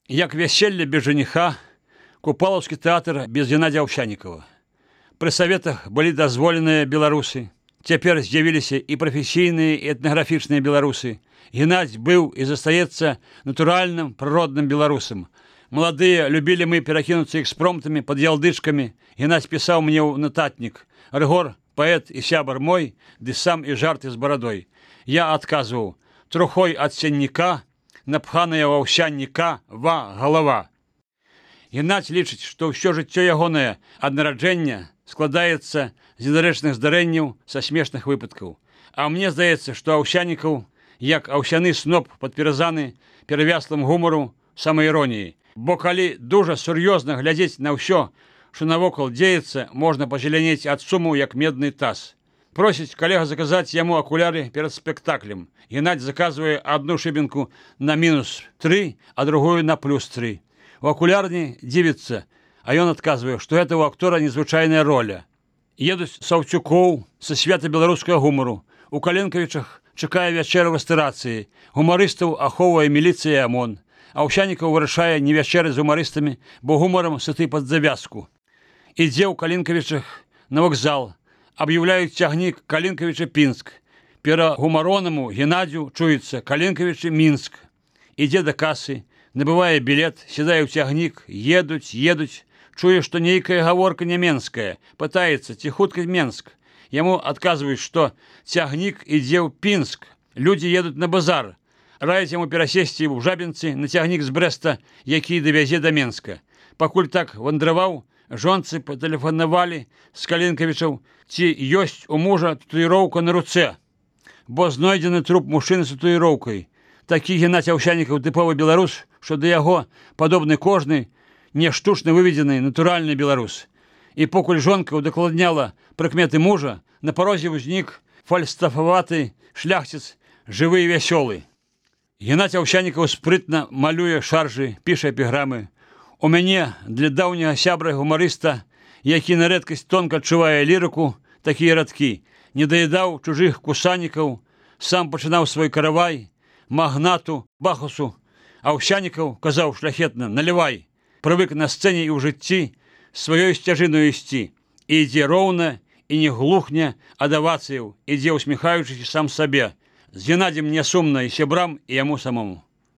Як вяселле без жениха, Купалаўскі тэатр без Геннадзя Аўсянікава. Пры саветах былі дазволеныя беларусы. Цяпер з'явіліся і прафесійныя, і этнаграфічныя беларусы. Геннадзь быў і застаецца натуральным, прыродным беларусам. Маладыя любілі мы перакінуцца экспромтамі пад ялдычкамі. Геннадзь пісаў мне ў нататнік: «Рыгор, паэт і сябар мой, ды сам і жарты з барадой». Я адказваў: «Трухой ад сенніка, напханая ў аўсянніка галава». Геннадзь лічыць, што ўсё жыццё ягонае ад нараджэння складаецца з недарэчных здарэнняў, са смешных выпадкаў. А мне здаецца, што Аўсянікаў, як аўсяны сноп падперазаны перавяслым гумару, самаіроніі. Бо калі дужа сур'ёзна глядзець на ўсё, што навокал дзеецца, можна пазелянець ад суму, як медны таз. Просіць калега заказаць яму акуляры перад спектаклем. Геннадзь заказвае адну шыбінку на -3, а другую на +3. У акулярні дзівіцца, а ён адказвае, што гэта ў актора незвычайная роля. Едуць Саўцюкоў са свята беларускага гумару. У Каленкавічах чакае вячэра вастырацыі. Гумарыстаў ахоўвае міліцыя і АМОН. Аўсянікаў вырашае не вячэры з гумарыстамі, бо гумарам сыты пад завязку. Ідзе ў Каленкавічах на вакзал. Аб'яўляюць цягнік Каленкавіча-Пінск. Пера гумаронаму Геннадзю чуецца Каленкавіча-Мінск. Ідзе да касы, набывае білет, сядае ў цягнік, едуць. Чуе, што нейкая гаворка няменская. Пытаецца, ці хутка Менск. Яму адказваюць, што цягнік ідзе ў Пінск. Людзі едуць на базар. Раяць яму перасесці ў Жабінцы на цягнік з Брэста, які давязе да Менска. Пакуль так вандраваў, жонцы патэлефанавалі з Каленкавічаў, ці ёсць у мужа татуіроўка на руцэ, бо знойдзены труп мужчыны з татуіроўкай. Такі Геннадзь Аўсянікаў тыповы беларус, што да яго падобны кожны, не штучна выведзены натуральны беларус. І покуль жонка удакладняла прыкметы мужа, на парозе ўзнік фальстафаваты шляхціц, жывы і вясёлы. Геннадзь Аўсянікаў спрытна малюе шаржы, піша эпіграмы. У мяне для даўняга сябра гумарыста, які на рэдкасць тонка адчувае лірыку, такія радкі: не даядаў чужых кусанікаў, сам пачынаў свой каравай, магнату, Бахусу. Аўсянікаў казаў шляхетна: налівай. Прывык на сцэне і ў жыцці сваёй сцяжыною ісці. І ідзе роўна, і не глухне ад авацыяў, ідзе усміхаючыся сам сабе. З Геннадзем не сумна і сябрам, і яму самому.